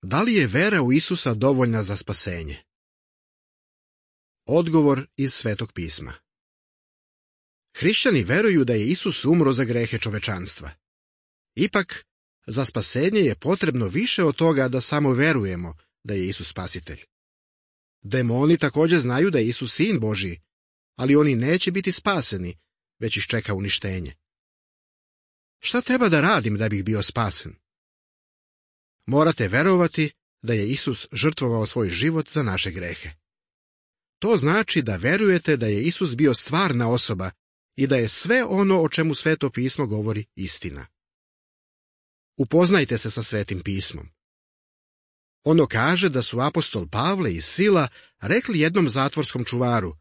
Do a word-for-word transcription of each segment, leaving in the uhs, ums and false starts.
Da li je vera u Isusa dovoljna za spasenje? Odgovor iz Svetog pisma. Hrišćani veruju da je Isus umro za grehe čovečanstva. Ipak, za spasenje je potrebno više od toga da samo verujemo da je Isus spasitelj. Demoni također znaju da je Isus sin Božji, ali oni neće biti spaseni, već ih čeka uništenje. Šta treba da radim da bih bio spasen? Morate verovati da je Isus žrtvovao svoj život za naše grehe. To znači da verujete da je Isus bio stvarna osoba i da je sve ono o čemu Sveto pismo govori istina. Upoznajte se sa Svetim pismom. Ono kaže da su apostol Pavle i Sila rekli jednom zatvorskom čuvaru: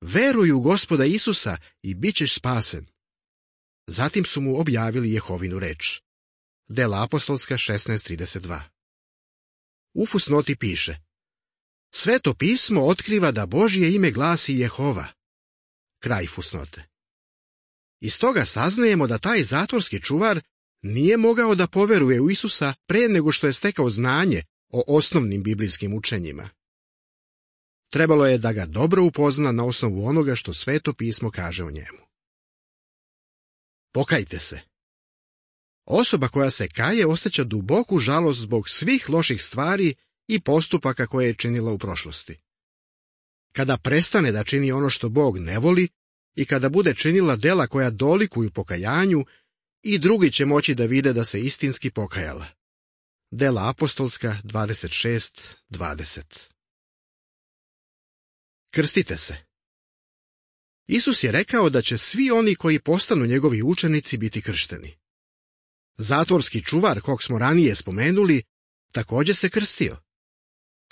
veruj u Gospoda Isusa i bit ćeš spasen. Zatim su mu objavili Jehovinu reč. Dela apostolska šesnaest trideset dva. U fusnoti piše: Sveto pismo otkriva da Božje ime glasi Jehova. Kraj fusnote. Iz toga saznajemo da taj zatvorski čuvar nije mogao da poveruje u Isusa pre nego što je stekao znanje o osnovnim biblijskim učenjima. Trebalo je da ga dobro upozna na osnovu onoga što Sveto pismo kaže o njemu. Pokajte se. Osoba koja se kaje osjeća duboku žalost zbog svih loših stvari i postupaka koje je činila u prošlosti. Kada prestane da čini ono što Bog ne voli i kada bude činila dela koja dolikuju pokajanju, i drugi će moći da vide da se istinski pokajala. Dela apostolska dvadeset šest dvadeset. Krstite se. Isus je rekao da će svi oni koji postanu njegovi učenici biti kršteni. Zatvorski čuvar, kog smo ranije spomenuli, također se krstio.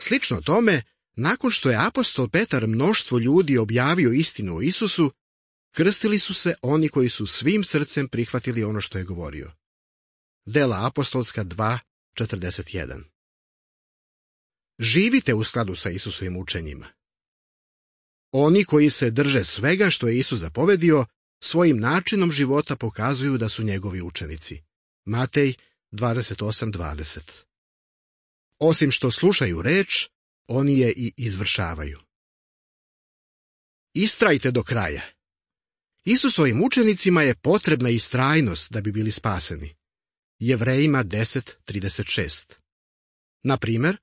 Slično tome, nakon što je apostol Petar mnoštvo ljudi objavio istinu o Isusu, krstili su se oni koji su svim srcem prihvatili ono što je govorio. Dela apostolska dva četrdeset jedan. Živite u skladu sa Isusovim učenjima. Oni koji se drže svega što je Isus zapovedio, svojim načinom života pokazuju da su njegovi učenici. Matej dvadeset osam dvadeset. Osim što slušaju reč, oni je i izvršavaju. Istrajte do kraja. Isusovim učenicima je potrebna istrajnost da bi bili spaseni. Jevrejima deset trideset šest. Na primjer,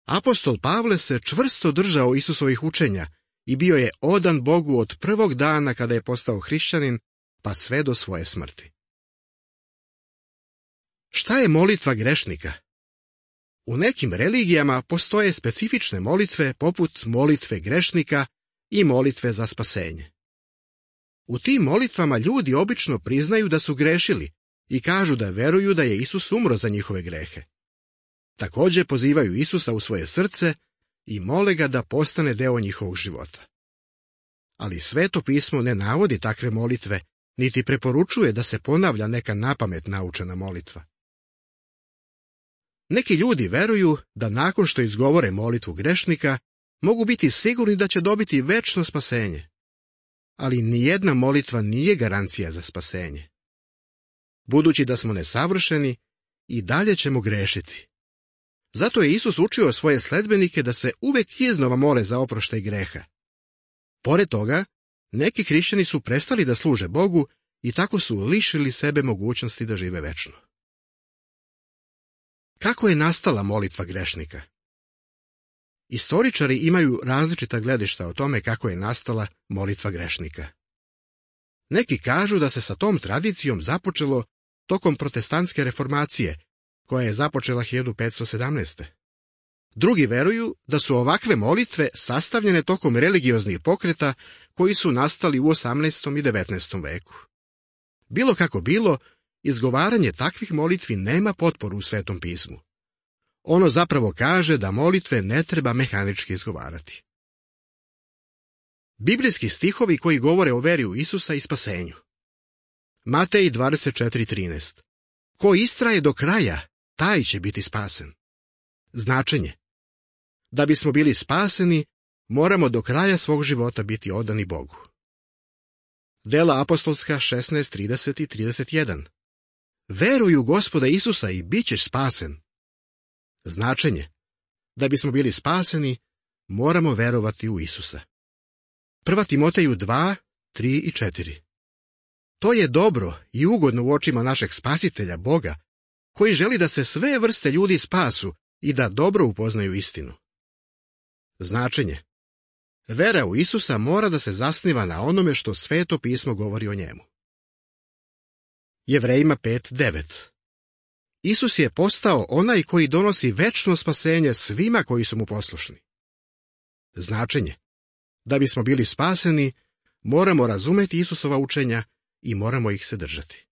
apostol Pavle se čvrsto držao Isusovih učenja i bio je odan Bogu od prvog dana kada je postao hrišćanin, pa sve do svoje smrti. Šta je molitva grešnika? U nekim religijama postoje specifične molitve poput molitve grešnika i molitve za spasenje. U tim molitvama ljudi obično priznaju da su grešili i kažu da veruju da je Isus umro za njihove grehe. Također pozivaju Isusa u svoje srce i mole ga da postane deo njihovog života. Ali Sveto pismo ne navodi takve molitve, niti preporučuje da se ponavlja neka napamet naučena molitva. Neki ljudi veruju da nakon što izgovore molitvu grešnika, mogu biti sigurni da će dobiti večno spasenje. Ali nijedna molitva nije garancija za spasenje. Budući da smo nesavršeni, i dalje ćemo grešiti. Zato je Isus učio svoje sledbenike da se uvek iznova mole za oproštaj greha. Pored toga, neki hrišćani su prestali da služe Bogu i tako su lišili sebe mogućnosti da žive večno. Kako je nastala molitva grešnika? Istoričari imaju različita gledišta o tome kako je nastala molitva grešnika. Neki kažu da se sa tom tradicijom započelo tokom protestantske reformacije, koja je započela hiljadu petsto sedamnaeste. Drugi veruju da su ovakve molitve sastavljene tokom religioznih pokreta koji su nastali u osamnaestom i devetnaestom veku. Bilo kako bilo, izgovaranje takvih molitvi nema potporu u Svetom pismu. Ono zapravo kaže da molitve ne treba mehanički izgovarati. Biblijski stihovi koji govore o veri u Isusa i spasenju. Matej dvadeset četiri trinaest. Ko istraje do kraja, taj će biti spasen. Značenje. Da bismo bili spaseni, moramo do kraja svog života biti odani Bogu. Dela apostolska šesnaest trideset i trideset jedan. Veruj u Gospoda Isusa i bit ćeš spasen. Značenje: da bismo bili spaseni, moramo verovati u Isusa. Prva Timoteju dva, tri i četiri. To je dobro i ugodno u očima našeg Spasitelja, Boga, koji želi da se sve vrste ljudi spasu i da dobro upoznaju istinu. Značenje: vera u Isusa mora da se zasniva na onome što Sveto pismo govori o njemu. Jevrejima pet, devet. Isus je postao onaj koji donosi večno spasenje svima koji su mu poslušni. Značenje: da bismo bili spaseni, moramo razumeti Isusova učenja i moramo ih se držati.